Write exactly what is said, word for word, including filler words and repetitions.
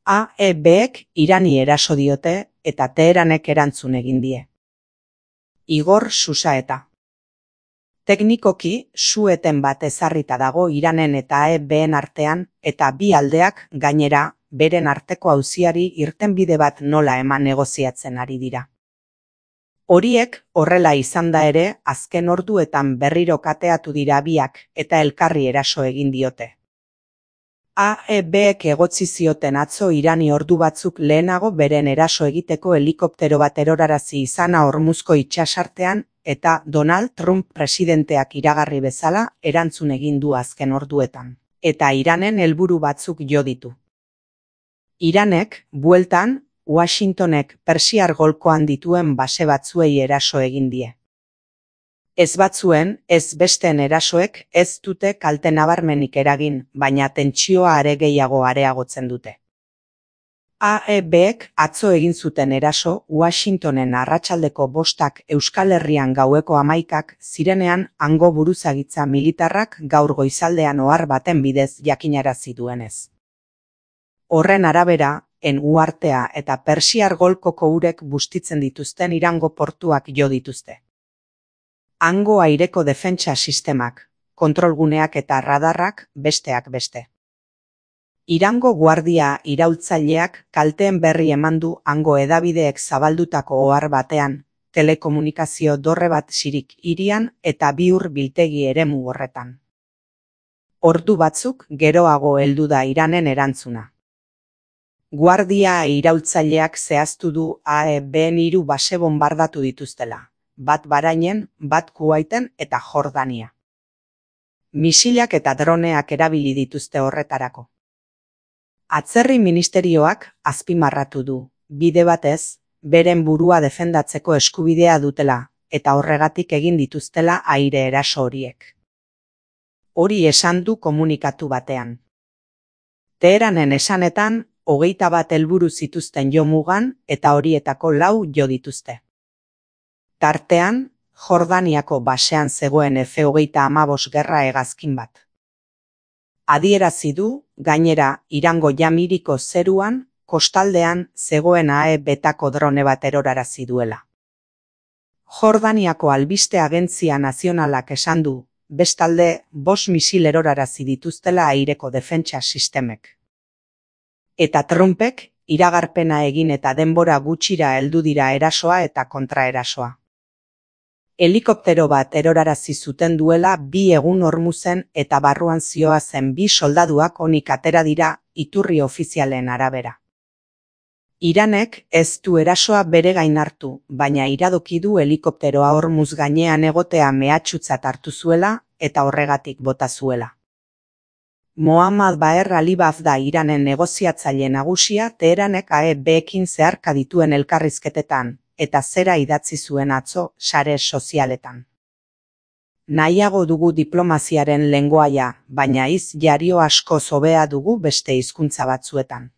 A E Bek Irani eraso diote eta Teheranek erantzun egin die. Igor Susaeta. Teknikoki, su-eten bat ezarrita dago Iranen eta A E Been artean eta bi aldeak gainera beren arteko auziari irtenbide bat nola eman negoziatzen ari dira. Horiek horrela izan da ere, azken orduetan berriro kateatu dira biak eta elkarri eraso egin diote. A E Bek egotzi zioten atzo Irani ordu batzuk lehenago beren eraso egiteko helikoptero bat erorarazi izana Hormuzko itsasartean eta Donald Trump presidenteak iragarri bezala erantzun egin du azken orduetan, eta Iranen helburu batzuk jo ditu. Iranek, bueltan, Washingtonek Persiar golkoan dituen base batzuei eraso egin die. Ez batzuen, ez besteen erasoek ez dute kalte nabarmenik eragin, baina tentsioa are gehiago areagotzen dute. A E Bek atzo egin zuten eraso Washingtonen arratsaldeko bostak Euskal Herrian gaueko hamaikak zirenean hango buruzagitza militarrak gaur goizaldean ohar baten bidez jakinarazi duenez. Horren arabera, en uhartea eta Persiar golkoko urek bustitzen dituzten Irango portuak jo dituzte. Hango aireko defentsa sistemak, kontrolguneak eta radarrak besteak beste. Irango guardia iraultzaileak kalteen berri eman du hango hedabideek zabaldutako ohar batean, telekomunikazio dorre bat sirik hirian eta bi ur biltegi eremu horretan. Ordu batzuk geroago heldu da Iranen erantzuna. Guardia iraultzaileak zehaztu du A E Been hiru base bonbardatu dituztela, bat Bahrainen, bat Kuwaiten eta Jordania. Misilak eta droneak erabili dituzte horretarako. Atzerri ministerioak azpimarratu du, bide batez, beren burua defendatzeko eskubidea dutela, eta horregatik egin dituztela aire eraso horiek. Hori esan du komunikatu batean. Teheranen esanetan, hogeita bat helburu zituzten jo mugan eta horietako lau jo dituzte. Tartean, Jordaniako basean zegoen F hogeita hamabost gerra hegazkin bat. Adierazi du, gainera, Irango Jamiriko zeruan, kostaldean zegoen A E Betako drone bat erorarazi duela. Jordaniako albiste agentzia nazionalak esan du, bestalde, bost misil erorarazi dituztela aireko defentsa sistemek. Eta Trumpek, iragarpena egin eta denbora gutxira heldu dira erasoa eta kontraerasoa. Helikoptero bat erorarazi zuten duela bi egun Hormuzen eta barruan zihoazen bi soldaduak onik atera dira iturri ofizialen arabera. Iranek ez du erasoa bere gain hartu, baina iradoki du helikopteroa Hormuz gainean egotea mehatxutzat hartu zuela eta horregatik bota zuela. Mohammad Baher Alibaf da Iranen negoziatzaile nagusia Teheranek A E Bekin zeharka dituen elkarrizketetan, eta zera idatzi zuen atzo sare sozialetan. Nahiago dugu diplomaziaren lengoaia, baina hitz jario asko hobea dugu beste hizkuntza batzuetan.